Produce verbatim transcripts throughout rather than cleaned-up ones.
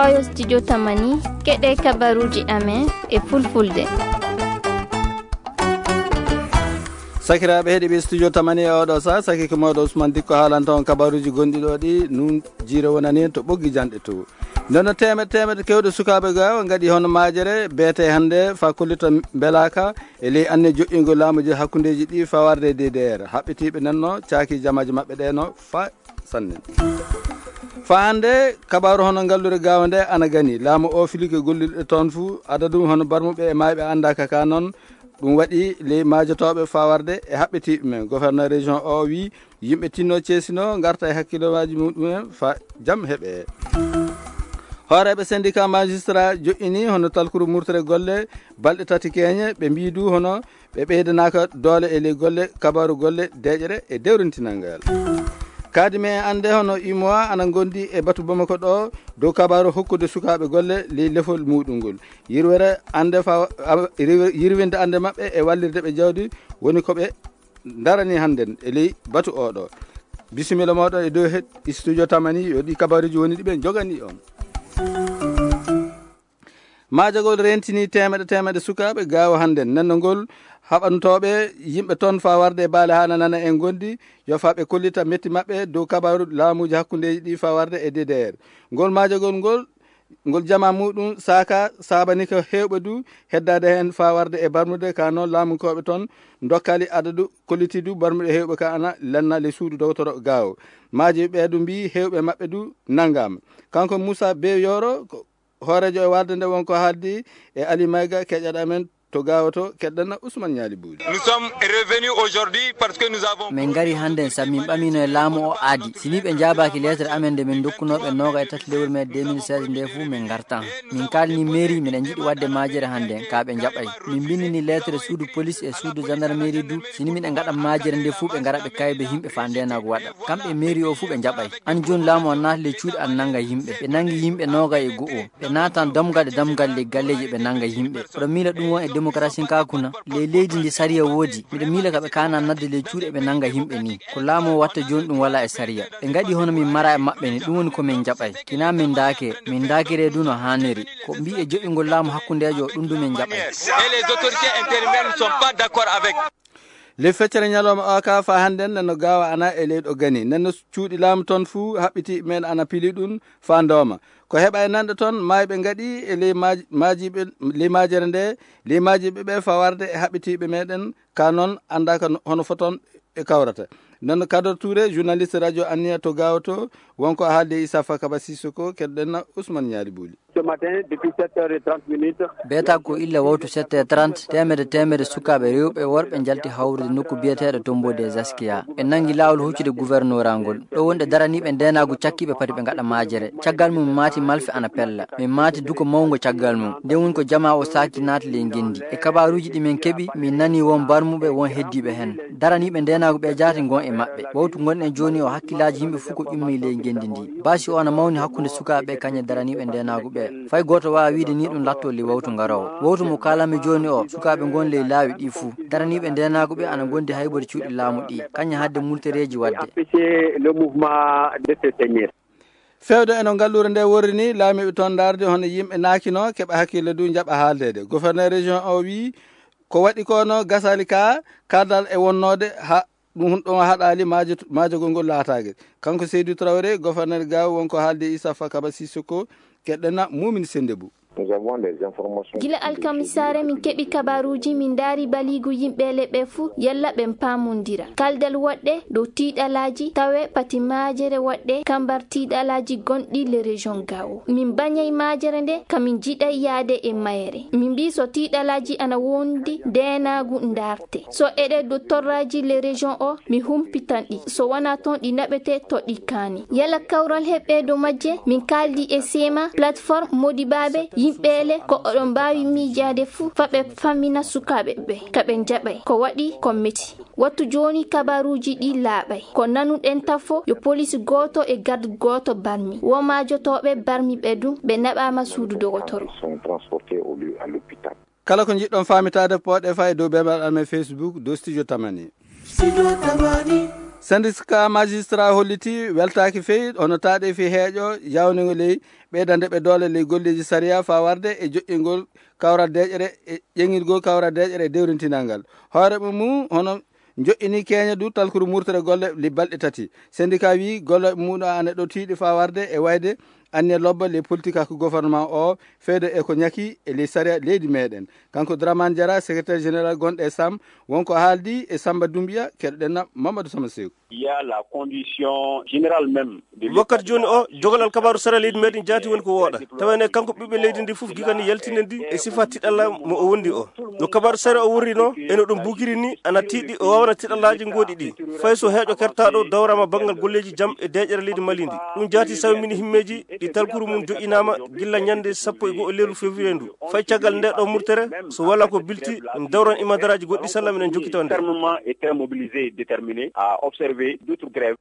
Oyo studio Tamani, keɗe kabaruji amen e fulfulde. Sakiraaɓe heɗiiɓe studio Tamani e oɗo sa, saki ko mawɗo Ousmane Dikko haalanta on kabaruji gonɗi ɗo ɗi, nun jiire wonani en to ɓoggi janɗe to. Nden no teemeɗe, teemeɗe kewɗe sukaaɓe ga o ngaɗi hono majere, beete hannde fa kollita mbelaka e ley anne joƴƴingo laamuji hakkundeji ɗi fawarde e D D R. Haɓɓitiiɓe nan no caaki jamaaji maɓɓe ɗe no fa sanne. Fa hannde, kabaru hono ngallure gawa nde ana gani. Laamu o filike gollirɗe toon fu, adadu hono barmuɓe e mayɓe andaka ka noon. Ɗum waɗi ley majotooɓe fawarde e haɓɓitiiɓe men. Gouverneur région o wi yimɓe tinno ceesino ngarta e hakkillooji muɗumen fa jam heɓe. Hooreeɓe syndicat magistrat joƴƴini hono talkuru murtere golle balɗe tati keñe, ɓe mbii du hono ɓe ɓeydanaaka doole e ley golle, kabaru golle, deeƴere e dewrintinal ngal. Kadi men annde hono U M O A ana ngondi e batu Bamako ɗo dow kabaru hokkude sukaaɓe golle ley lefol muɗum ngol. Yirwere annde fa, a, yirwe-, yirwinde annde maɓɓe e wallirde ɓe jawdi woni ko ɓe darani hannden e ley batu oɗo. Bisimilla moɗon e dow he studio Tamani, yo ɗi kabaruji woni ɗi ɓe jogani on. Maajagol rentini teemeɗe, teemeɗe sukaaɓe gaawo hannden. Nenno ngol haɓantooɓe yimɓe toon faa warde e baale haa nanana en ngondi, yo faa ɓe kollita metti maɓɓe dow kabaaru laamuuji hakkundeeji ɗi faa warde e D D R. Ngol maajagol ngol, ngol jama muɗum saaka saabani ko heewɓe du heddaade heen faa warde e barmude ka noon laamunkooɓe toon ndokkali adadu kolliti du barmuɗe heewɓe ka ana lanna le suudu dogotoro gaawo. Maaji ɓe du mbii heewɓe maɓɓe du nanngaama. Kanko Moussa Beyoro, ko hooreejo e warde nde wonko haaldi e Ali Mayga, keƴaɗo amen to gaawo to, keɗɗana Ousmane Ñaali Buuli. Nous sommes revenus aujourd'hui parce que nous avons Min ngari hannden sabu min ɓamino e laamu o aadi. Si ni ɓe njaabaaki lettre amen nde min ndokkunoo ɓe nooga e tati lewru mee deux mille seize nde fuu min ngartan. Min kaalni mairie miɗen njiɗi waɗde maajere hannden, ka ɓe njaɓay. Min mbinndini lettre suudu police e suudu gendarmerie du, si ni miɗen ngaɗa maajere nde fuu ɓe ngara ɓe kaybe yimɓe faa ndeenaagu waɗa. Kamɓe mairie o fuu ɓe njaɓay. An jooni laamu o naati le cuuɗi an nannga yimɓe. Ɓe nanngi yimɓe nooga e go'o. Ɓe naatan damgal e damgal le galleeji ɓe nannga yimɓe. Oɗon miila ɗum won e démocratie ka kuna? Ley leydi ndi sariya woodi. Miɗo miila ka ɓe kaana nadde ley cuuɗi ɓe nannga yimɓe ni. Ko laamu o watta jooni ɗum wala e sariya. Ɓe ngaɗi hono min mara e maɓɓe ni, ɗum woni ko min njaɓay. Kina min ndaake, min ndaakire du no haaniri. Ko mbii e joƴƴingol laamu hakkundeejo o, ɗum du min njaɓay. Et les autorités intérimaires ne sont pas d'accord avec. Le feccere ñalawma o ka fa hannden no gaawa ana e leyɗo gani. Nden no cuuɗi laamu toon fuu haɓɓiti men ana pili ɗum fa ndooma. Ko heɓa e nanɗe toon maayɓe ngaɗi e ley maaj-, maajiiɓe, ley maajere nde, ley maajiiɓe ɓe fa warde e haɓɓitiiɓe meɗen ka noon anndaaka no, hono foton ɓe kawrata. Nden no Kador Touré, journaliste radio Anniya to gaawo to, wonko haalde Issa Fakaba Sissoko, keɗɗen na Ousmane Ñaali Buuli. Ce matin, depuis sept heures et trente minutes. Beeta ko illa wawtu sept heures trente, teemedde, teemedde sukaaɓe rewɓe e worɓe njalti hawrude nokku biyeteeɗo Tombeau des Askia. Ɓe nangi laawol huccude gouverneur ngol. Ɗo wonde daraniiɓe ndeenaagu cakkiiɓe pati ɓe ngaɗa maajere. Caggal mum maati malfe ana pella. Min maati duko mawngo caggal mum. Nden woni ko jamaa o saakti naati ley ngenndi. E kabaaruuji ɗi min keɓi, min nani won barmuɓe, won heddiiɓe hen. Daraniiɓe ndeenaagu ɓe jaati ngon e maɓɓe. Wawtu ngonɗen jooni o hakkillaaji yimɓe fof ko ƴummi ley ngenndi ndi. Basi o ana mawni hakkunde sukaaɓe kañe daraniiɓe ndeenaagu ɓe. Fay gooto waawa wiide ni ɗum latto ley wawtu ngaroowo. Wawtu mo kaalanmi jooni o, sukaaɓe ngon ley laawi ɗi fuu. Daraniiɓe ndeenaagu ɓe ana ngondi haybude cuuɗi laamu ɗi. Kañe hadde multereeji waɗde. Empêcher le mouvement de se tenir. Fewde e no ngalluure nde worri ni, laamiiɓe toon ndaarde hono yimɓe naakino keɓa hakkille du njaɓa haaldeede. Gouverneur région o wii ko waɗi ko no gasali ka kardal e wonnoode ha ɗum ɗon haɗaali maajo-, maajogol ngol laataage. Kanko Seydou Traoré, gouverneur Gao, wonko haalde Issa Fakaba Sissoko, keɗɗena Mumin Sendebou. Nous avons les informations. Gila alkamisaare min keɓi kabaruuji, min ndaari baliigu yimɓe leɓɓe fuu, yalla ɓen paamondira. Kaldal woɗɗe dow tiiɗalaaji, tawe pati maajere woɗɗe kambar tiiɗalaaji gonɗi le région Gao. Min bañay maajere nde, ka min jiɗay yaade e mayere. Min mbii so tiiɗalaaji ana wondi, ndeenaagu ndaarte. So eɗe dow torraaji le région o, mi humpitan ɗi. So wonaa toon ɗi naɓete to ɗi kaani. Yala kawral heɓɓe dow majje, min kaaldi e seema, plateforme modibaaɓe, yimɓeele, ko oɗon mbaawi miijaade fuu, fa ɓe fammina sukaaɓe ɓe, ka ɓe njaɓay. Ko waɗi ko meti. Wattu jooni kabaruuji ɗi laaɓay. Ko nanuɗen tafo, yo police gooto e garde gooto barmi. Wo maajotooɓe barmi ɓe dum, ɓe naɓaama suudu dogotoro. Ils sont transportés au, à l'hôpital. Kala ko njiɗɗon faamitaade, pooɗe faa e dow beembaɗal amen Facebook, dow Studio Tamani. Studio Tamani. Syndicat magistrat holliti weltaaki feyi hono taaɗe fi heeƴo yawningol ley ɓeydande ɓe doole ley golleeji sariya faa warde e joƴƴingol kawral deeƴere e ƴeŋirgol kawral deeƴere e dewrintinal ngal. Hoore mum hono joƴƴini keeña du talkuru murtere golle li balɗe tati. Syndicat wii golle muɗum ana ɗo tiiɗi faa warde e wayde anniya lobba ley politique hakku gouvernement o feedo e ko ñaki e ley sariya leydi meɗen. Kanko Dramane Diarra, secrétaire général gonɗo e Sam, wonko haaldi e Samba Doumbia, keɗoɗen na Mamadou Sama Seeku. Il y a la condition générale même de wakkati jooni o, jogal alkabaaru sara leydi meɗen jaati woni ko wooɗa. Tawene kanko ɓiɓɓe leydi ndi fof gikani yaltinen ndi e sifa tiɗalla mo o wondi o. No kabaaru sara o wurrino, eno ɗum bukiri ni, ana tiiɗi o wawana tiɗallaaji ngoɗi ɗi. Fay so heeƴo kertaɗo dawrama banngal golleeji jam e deeƴere leydi Mali ndi. Ɗum jaati sawmini himmeeji ɗi talkuru mum joƴƴinaama gilla ñande sappo e go'o lewru février ndu. Fay caggal nde ɗo murtere, so wala ko bilti, dawran imadaraaji goɗɗi salla minen jokkito nde. Fermement et très mobilisé et déterminé à observer d'autres grèves.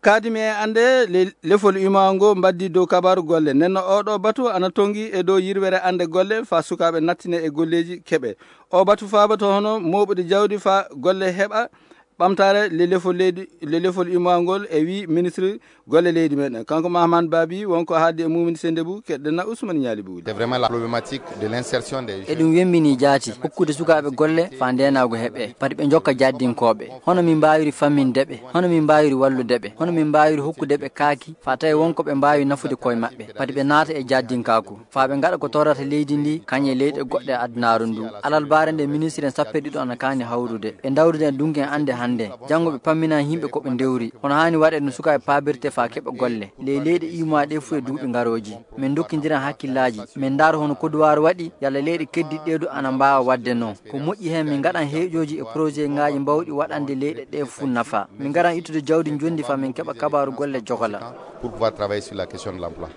Kaadimi e annde le-, lefol imaango mbaddi dow kabaaru golle. Nenno oɗo batu ana tongi e dow yirwere annde golle faa sukaaɓe nattine e golleeji keɓe. O batu faaba to hono mooɓude jawdi faa golle heɓa ɓamtaare le lefol leydi, le lefol imaangol e wii ministre golle leydi meɗen. Kanko Mahaman Babi wonko haaldi e Mumini Sendebu, keɗɗen na Ousmane Ñaali Buudi. C'est vraiment la problématique de l'insertion des jeunes. Eɗum wembini jaati hokkude sukaaɓe golle faa ndeenaagu heɓe. Pati ɓe njokka jaddinkooɓe. Hono min mbaawiri famminde ɓe? Hono min mbaawiri wallude ɓe? Hono min mbaawiri hokkude ɓe kaaki faa tawi wonko ɓe mbaawi nafude koye maɓɓe? Pati ɓe naata e jaddinkaaku. Faa ɓe ngaɗa ko torrata leydi ndi, kañum e leyɗe goɗɗe e adunaaru ndu. Alarbaare nde ministre en sappo e ɗiɗo ana kaani hawrude. Ɓe ndawrida e dunki en annde hannde. Janngo ɓe pamminana yimɓe ko ɓe ndewri. Hono haani waɗeede no sukaaɓe paabirte faa keɓa golle. Ley leyɗe iwmaa ɗe fof e duuɓi ngarooji. Min ndokkindiran hakkillaaji. Min ndaara hono koduwaaru waɗi, yalla leyɗe keddiɗɗe ɗe du ana mbaawa waɗde noon. Ko moƴƴi heen min ngaɗan heeƴooji e projet ngaaji mbaawɗi waɗande leyɗe ɗe fof nafa. Min ngaran ittude jawdi njondi faa min keɓa kabaaru golle jogola. Pour pouvoir travailler sur la question de l'emploi.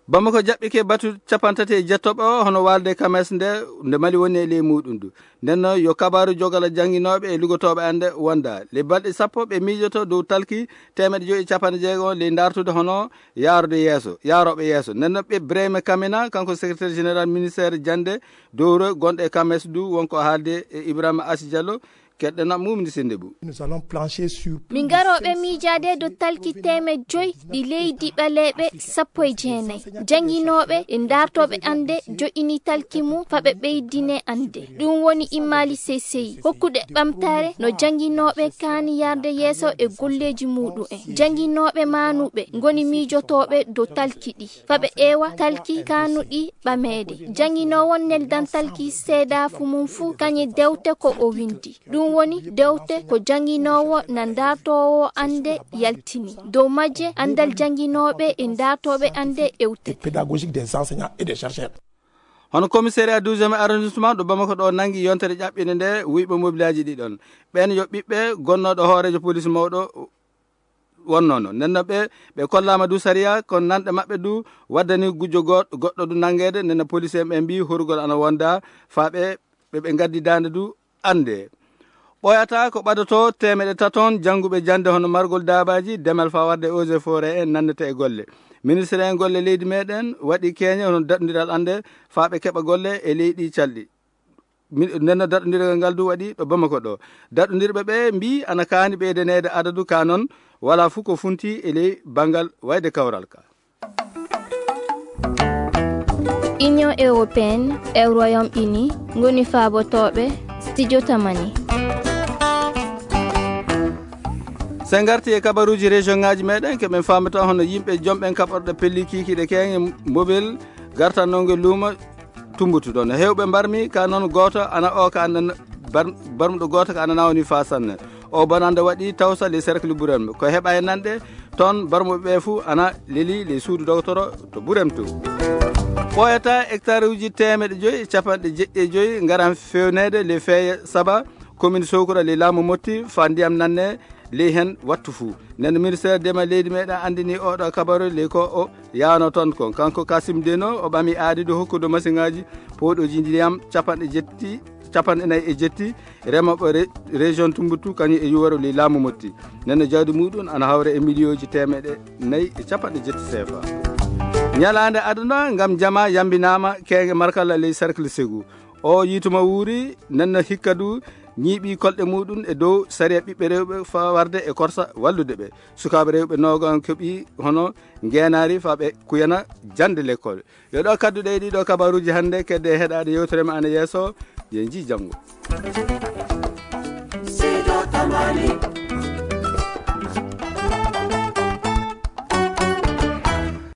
Bamako jaɓɓike batu cappanɗe tati e jettooɓe o hono waalde Kames nde, nde Mali woni e ley muuɗum du. Nden noon yo kabaaru jogala jannginooɓe e lugotooɓe annde wonda. Ley balɗe sappo ɓe miijoto dow talki teemeɗɗe joyi e cappanɗe jeego ley ndaartude hono yaarde yeeso, yaarooɓe yeeso. Nden noon ɓe Brahima Kamina, kanko secrétaire général ministère jannde dowro gonɗo e Kames du, wonko haalde e Ibrahima Asi Diallo, keɗɗen na Mumini Sendebu. Nous allons plancher sur plus de cinq cents. Min ngarooɓe miijaade dow talki teemeɗɗe joyi ɗi leydi ɓaleeɓe sappo e jeenayi. Jannginooɓe e ndaartooɓe annde joƴƴini talki mum faa ɓe ɓeydine annde. Ɗum woni immaali seysey. Hokkude ɓamtaare no jannginooɓe kaani yaarde yeeso e golleeji muuɗum en. Jannginooɓe maanuɓe ngoni miijotooɓe dow talki ɗi. Faa ɓe eewa talki kaanuɗi ɓameede. Jannginoowo neldan talki seedaafu mum fuu kañum dewte ko o winndi. Ɗum woni dewte ko jannginoowo na ndaartoowo annde yaltini. Dow majje anndal jannginooɓe e ndaartooɓe annde ewti. Et pédagogique des enseignants et des chercheurs. Hono commissariat douzième arrondissement ɗo Bamako ɗo nanngi yontere ƴaɓɓinde nde wuyɓe mobilaaji ɗi ɗon. Ɓeen yo ɓiɓɓe gonnooɗo hooreejo police mawɗo wonnoono. Nden noon ɓe, ɓe kollaama du sariya, kono nanɗe maɓɓe du waddani gujjo go-, goɗɗo du nanngeede. Nden no police en ɓe mbii horugol ana wonda faa ɓe, ɓe, ɓe ngaddi daande du annde. Ɓooyataa ko ɓadotoo teemeɗɗe taton jannguɓe jannde hono margol daabaaji, demal faa warde eaux et forêt en nannete e golle. Ministre en golle leydi meɗen waɗi keeñe hono daɗondiral annde faa ɓe keɓa golle e leydi calɗi. Mi-, nden no daɗondiral ngal du waɗi ɗo Bamako ɗo. Daɗondirɓe ɓe mbii ana kaani ɓeydaneede adadu ka noon, walaa fof ko funti e ley banngal wayde kawral ka. Union européenne e Royaume-Uni ngoni faabotooɓe studio Tamani. So en ngarti e kabaruuji région ngaaji meɗen, ke ɓen faamata hono yimɓe jomɓen kaɓorɗe pelli kiikiiɗe keeŋe mobile gartannonge luuma Tumbutu ɗon. Heewɓe mbarmi ka noon gooto ana o ka ana bar-, barmuɗo gooto ka ana nawni faa sanne. O bonannde waɗi tawsa les cercles Burem. Ko heɓa e nanɗe toon barmuɓe ɓe fuu ana leli les suudu dogotoro to Burem to. Ɓooyata hectare uji teemeɗɗe joyi e capanɗe jeɗɗi e joyi ngaran fewneede les feeye saba commune Sokura les laamu motti faa ndiyam nanne ley heen wattu fuu. Nden ministère ndema leydi meɗen anndini oɗo kabaru ley ko o yaano toon kon. Kanko Kasim Deno o ɓami aadi do hokkude masiŋaaji pooɗooji ndiyam capanɗe jetti, capanɗe nayi e jetti, remooɓe re-, région Tumbuktu kañum e yuwaro ley laamu motti. Nden no jawdi muɗum ana hawra e miliyooji teemeɗɗe nayi e capanɗe jetti seefa. Ñalaande aduna ngam jama yambinaama keeŋe Markalla ley cercle Ségou. O yiituma wuuri, nden no hikka du ñiiɓi kolɗe muɗum e dow sariya ɓiɓɓe rewɓe faa warde e korsa wallude ɓe. Sukaaɓe rewɓe noogan keɓi hono ngeenaari faa ɓe kuyana jannde lekkol. Yo ɗo kadduɗe e ɗiɗo kabaruuji hannde, kedde heɗaade yewtere ma ana yeeso, yo njii janngo.